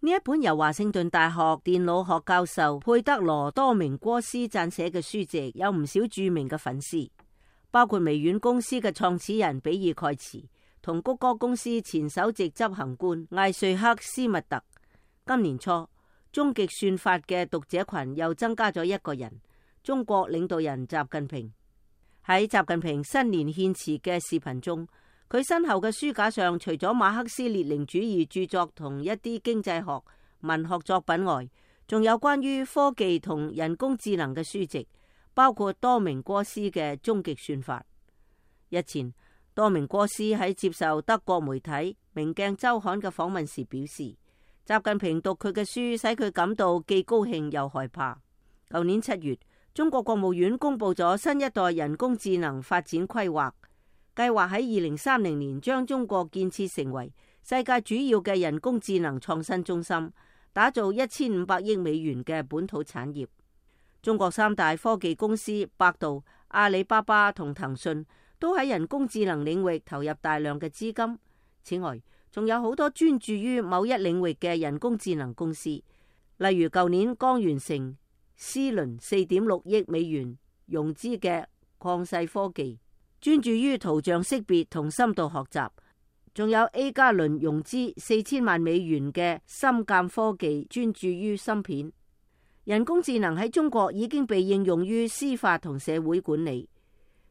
呢一本由華盛頓大學電腦學教授佩德羅多明戈斯撰寫嘅書籍，有唔少著名嘅粉絲，包括微軟公司嘅創始人比爾蓋茨同谷歌公司前首席執行官艾瑞克斯密特。今年初，終極算法嘅讀者群又增加咗一個人，中國領導人習近平。喺習近平新年獻辭嘅視頻中，佢身後嘅書架上除咗馬克思列寧主義著作同一啲經濟學文學作品外，仲有關於科技同人工智能嘅書籍，包括多明戈斯嘅《終極算法》。日前，多明戈斯喺接受德國媒體《明鏡週刊》嘅訪問時表示，習近平讀佢嘅書使佢感到既高興又害怕。舊年7月，中國國務院公布咗新一代人工智能發展規劃，計劃喺2030年將中國建設成為世界主要嘅人工智能創新中心，打造1500億美元嘅本土產業。中國3大科技公司百度、阿里巴巴同騰訊都喺人工智能領域投入大量嘅資金。此外，仲有好多專注於某一領域嘅人工智能公司，例如舊年剛完成 C 輪4.6億美元融資嘅曠世科技，專注於圖像識別同深度學習，仲有 A 加輪融資4000萬美元嘅深鑑科技，專注於芯片。人工智能喺中國已經被應用於司法同社會管理。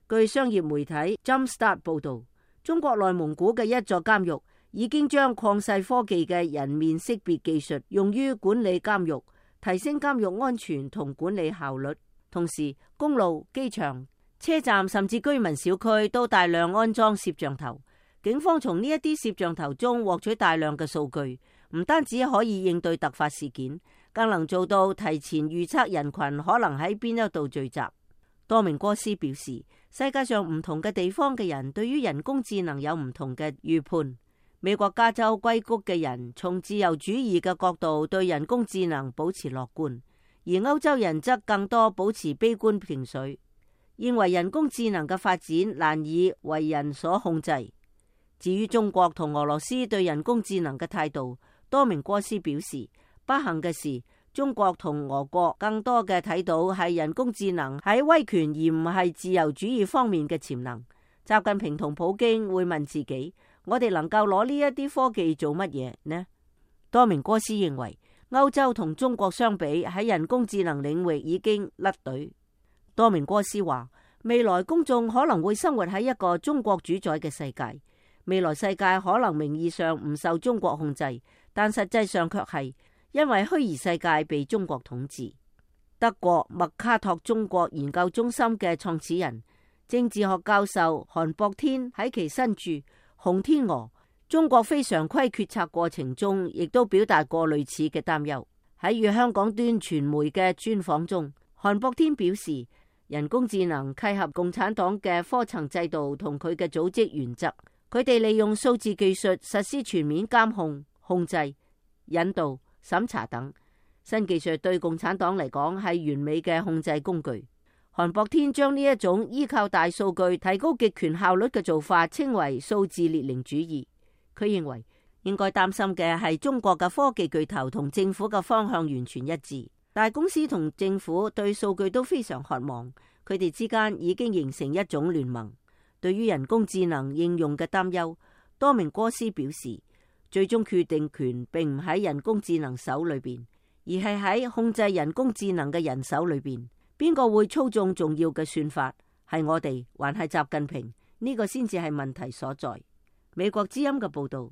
據商業媒體 Jumpstart 報道，中國內蒙古嘅一座監獄已經將曠世科技嘅人面識別技術用於管理監獄，提升監獄安全同管理效率。同時，公路、機場、車站甚至居民小區都大量安裝攝像頭。警方從呢一啲攝像頭中獲取大量嘅數據，唔單止可以應對突發事件，更能做到提前預測人群可能喺邊一度聚集。多明戈斯表示，世界上唔同嘅地方嘅人對於人工智能有唔同嘅預判。美國加州硅谷嘅人從自由主義嘅角度對人工智能保持樂觀，而歐洲人則更多保持悲觀情緒，認為人工智能嘅發展難以為人所控制。至於中國同俄羅斯對人工智能嘅態度，多明戈斯表示，不幸嘅是，中國同俄國更多嘅睇到係人工智能喺威權而唔係自由主義方面嘅潛能。習近平同普京會問自己，我哋能夠攞呢一啲科技做乜嘢呢？多明戈斯認為，歐洲同中國相比喺人工智能領域已經甩隊。多明戈斯話，未來公眾可能會生活喺一個中國主宰嘅世界。未來世界可能名義上唔受中國控制，但實際上卻係因為虛擬世界被中國統治。德國麥卡托中國研究中心嘅創始人、政治學教授韓博天喺其新著《紅天鵝：中國非常規決策過程》中，亦都表達過類似嘅擔憂。喺與香港端傳媒嘅專訪中，韓博天表示，人工智能契合共產黨嘅科層制度同佢嘅組織原則。佢哋利用數字技術實施全面監控、控制、引導、審查等。新技術對共產黨嚟講係完美嘅控制工具。韓博天將呢一種依靠大數據提高極權效率嘅做法稱為數字列寧主義。佢認為應該擔心嘅係中國嘅科技巨頭同政府嘅方向完全一致。大公司同政府對數據都非常渴望，佢哋之間已經形成一種聯盟。對於人工智能應用嘅擔憂，多明戈斯表示，最終決定權並唔喺人工智能手裏邊，而係喺控制人工智能嘅人手裏邊。邊個會操縱重要嘅算法？係我哋，還係習近平？呢個先至係問題所在。美國之音嘅報道。